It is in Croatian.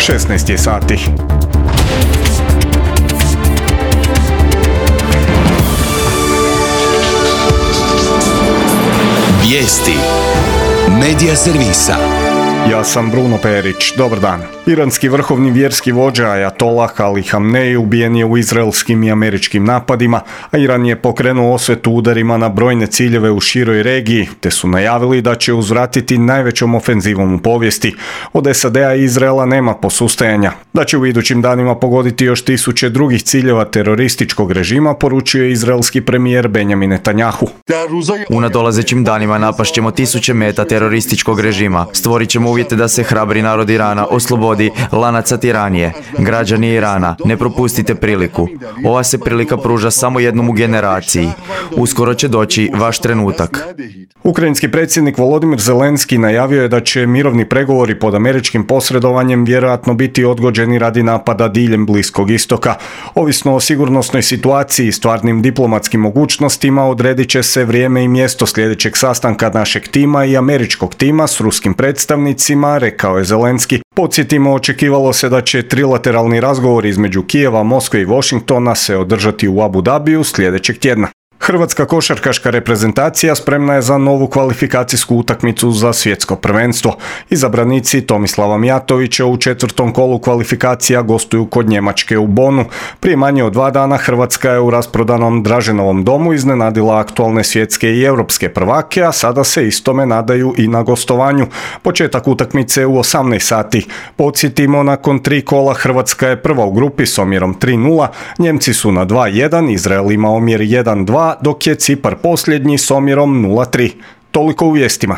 16 je sati. Vijesti Medija servisa. Ja sam Bruno Perić, dobar dan. Iranski vrhovni vjerski vođa Ajatolah Ali Hamnej ubijen je u izraelskim i američkim napadima, a Iran je pokrenuo osvetu udarima na brojne ciljeve u široj regiji, te su najavili da će uzvratiti najvećom ofenzivom u povijesti. Od SAD-a i Izraela nema posustajanja. Da će u idućim danima pogoditi još 1000 drugih ciljeva terorističkog režima, poručio je izraelski premijer Benjamin Netanjahu. U nadolazećim danima napašćemo 1000 meta terorističkog režima. Stvorit ćemo uvjete da se hrabri narod Irana oslobodi lanaca tiranije. Građani Irana, ne propustite priliku. Ova se prilika pruža samo jednom u generaciji. Uskoro će doći vaš trenutak. Ukrajinski predsjednik Volodymyr Zelenski najavio je da će mirovni pregovori pod američkim posredovanjem vjerojatno biti odgođeni radi napada diljem Bliskog istoka. Ovisno o sigurnosnoj situaciji i stvarnim diplomatskim mogućnostima odredit će se vrijeme i mjesto sljedećeg sastanka našeg tima i američkog tima s ruskim predstavnicima, rekao je Zelenski. Podsjetimo, očekivalo se da će trilateralni razgovori između Kijeva, Moskve i Washingtona se održati u Abu Dhabiju sljedećeg tjedna. Hrvatska košarkaška reprezentacija spremna je za novu kvalifikacijsku utakmicu za svjetsko prvenstvo. Izabranici Tomislava Mijatovića u 4. kolu kvalifikacija gostuju kod Njemačke u Bonu. Prije manje od 2 dana Hrvatska je u rasprodanom Draženovom domu iznenadila aktualne svjetske i europske prvake, a sada se istome nadaju i na gostovanju. Početak utakmice u 18 sati. Podsjetimo, nakon 3 kola Hrvatska je prva u grupi s omjerom 3:0, Njemci su na 2:1, Izrael ima omjer 1:2, dok je Cipar posljednji s omjerom 0:3. Toliko u vijestima.